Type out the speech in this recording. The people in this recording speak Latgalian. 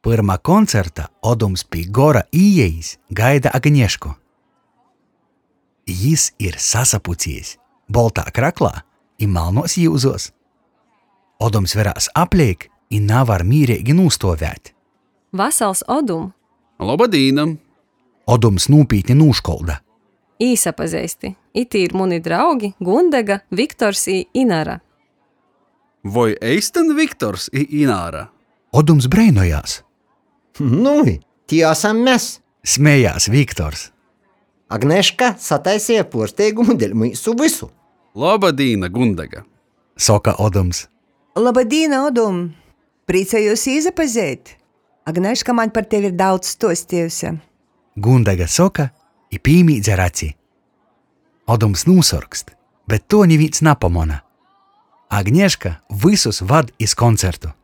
Pyrma koncerta Odums pi gora īejis gaida Agnešku. Jis ir sasapuciejs, boltā kraklā i malnuos iuzuos. Odums verās apleik i navar mīreigi nūstuovēt. Vasals, Odum! Loba dīna! Odums nūpītni nūškolda. Īsapazeisti! Itī ir muni draugi Gundega, Viktors i Inara. Voi eistyn Viktors i Ināra? Odums breinojās. Nui, tī asam mes. Smejās Viktors. Agneška sataiseja puorsteigumu deļ myusu vysu. Loba dīna, Gundega! Soka Odums. Loba dīna, Odum! Prīcojos īsapazeit! Agneška maņ par tevi ir daudz stuostejuse. Gundega soka i pīmīdz ar aci. Odums nūsorkst, bet tuo nivīns napamona. Agneška vysus vad iz koncertu.